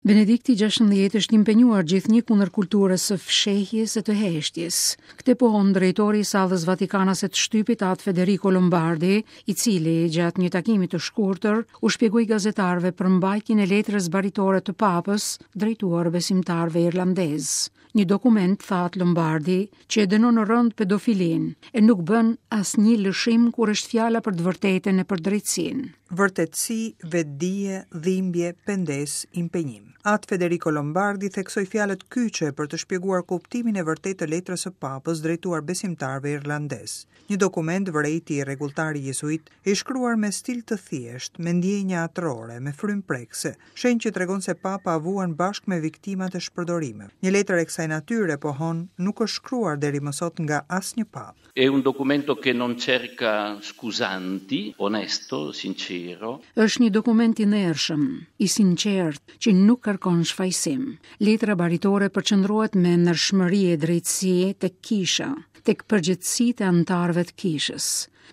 Benedikti 16 është impenjuar gjithnjë kundër kulturës së fshehjes e të heshtjes. Këtë pohon drejtori i sallës vatikanase të shtypit At Federico Lombardi, i cili gjatë një takimi të shkurtër u shpjegoi gazetarëve përmbajtjen e letrës baritore të Papës drejtuar besimtarëve irlandezë. Një dokument, tha At Lombardi, që e dënon rëndë pedofilinë e nuk bën asnjë lëshim kur është fjala për të vërtetën e për drejtësinë. Vërtetësi, vetëdije, dhimbje, pendesë, impenjim. At Federico Lombardi theksoi fjalët kyçe për të shpjeguar kuptimin e vërtetë të letrës së Papës drejtuar besimtarëve irlandezë. Një dokument, vërejti rregulltari jezuit, i shkruar me stil të thjeshtë, me ndjenja atërore, me frymë prekëse, shenjë që tregon se Papa vuan bashkë me viktimat e shpërdorimeve. Një letër e kësaj natyre, pohon, nuk është shkruar deri më sot nga asnjë papë. È un documento che non cerca scusanti, onesto, sincero. Është një dokument i ndershëm, i sinqertë, që nuk kërkon shfajësim. Letra baritore përqendrohet me ndershmëri e drejtësi tek kisha, tek përgjegjësitë e anëtarëve të kishës,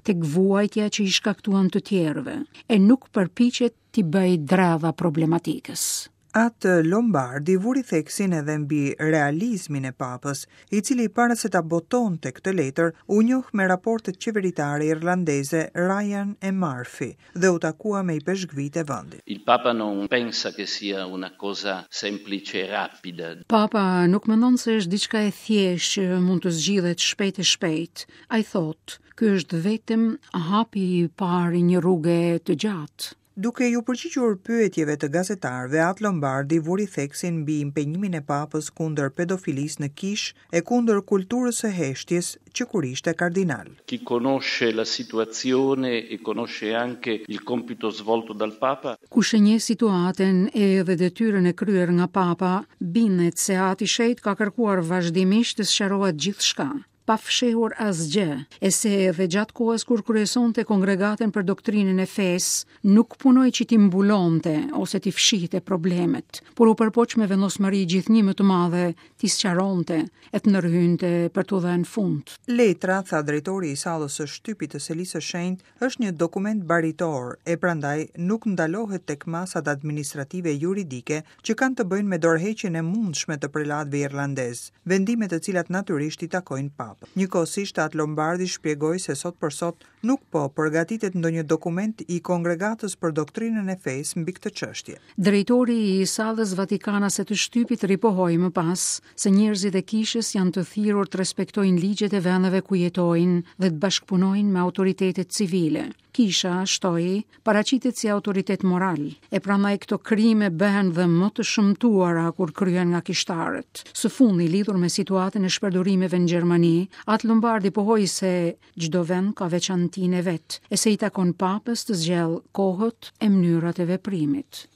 tek vuajtja që i shkaktuan të tjerëve, e nuk përpiqet t'i bëjë dredha problematikës. At Lombardi vuri theksin edhe mbi realizmin e Papës, i cili para se ta botonte këtë letër, u njoh me raportet qeveritare irlandeze Ryan e Murphy dhe u takua me ipeshkvijtë e vendit. Il Papa non pensa che sia una cosa semplice e rapida. Papa nuk mendon se është diçka e thjeshtë që mund të zgjidhet shpejt e shpejt. Ai thotë, ky është vetëm hapi i parë i një rruge të gjatë. Duke iu përgjigjur pyetjeve të gazetarëve, At Lombardi vuri theksin mbi impenjimin e Papës kundër pedofilisë në kishë e kundër kulturës së heshtjes që kur ishte kardinal. Chi conosce la situazione e conosce anche il compito svolto dal Papa. Kush e njeh situatën edhe detyrën e kryer nga Papa, bindet se Ati i Shenjtë ka kërkuar vazhdimisht të sqarohet gjithçka. pa fshehur asgjë, e se edhe gjatë kohës kur kryesonte Kongregatën për Doktrinën e Fesë, nuk punoi që t'i mbulonte ose t'i fshihte problemet, por u përpoq me vendosmëri gjithnjë më të madhe t'i sqaronte e të ndërhynte për t'u dhënë fund. Letra, tha drejtori i sallës së shtypit të Selisë së Shenjtë, është një dokument baritor e prandaj nuk ndalohet tek masat administrative e juridike që kanë të bëjnë me dorëheqjen e mundshme të prelatëve irlandezë, vendime të cilat natyrisht i takojnë Papës. Njëkohësisht At Lombardi shpjegoi se sot për sot nuk po përgatitet ndonjë dokument i Kongregatës për Doktrinën e Fesë mbi këtë çështje. Drejtori i Sallës Vatikanase të Shtypit ripohoi më pas se njerëzit e kishës janë të thirrur të respektojnë ligjet e vendeve ku jetojnë dhe të bashkëpunojnë me autoritetet civile. Kisha, shtoi, paraqitet si autoritet moral, e prandaj këto krime bëhen dhe më të shëmtuara kur kryhen nga kishtarët. Së fundi, lidhur me situatën e shpërdorimeve në Gjermani, At Lombardi pohoi se çdo vend ka veçantinë e vet, e se i takon Papës të zgjedhë kohët e mënyrat e veprimit.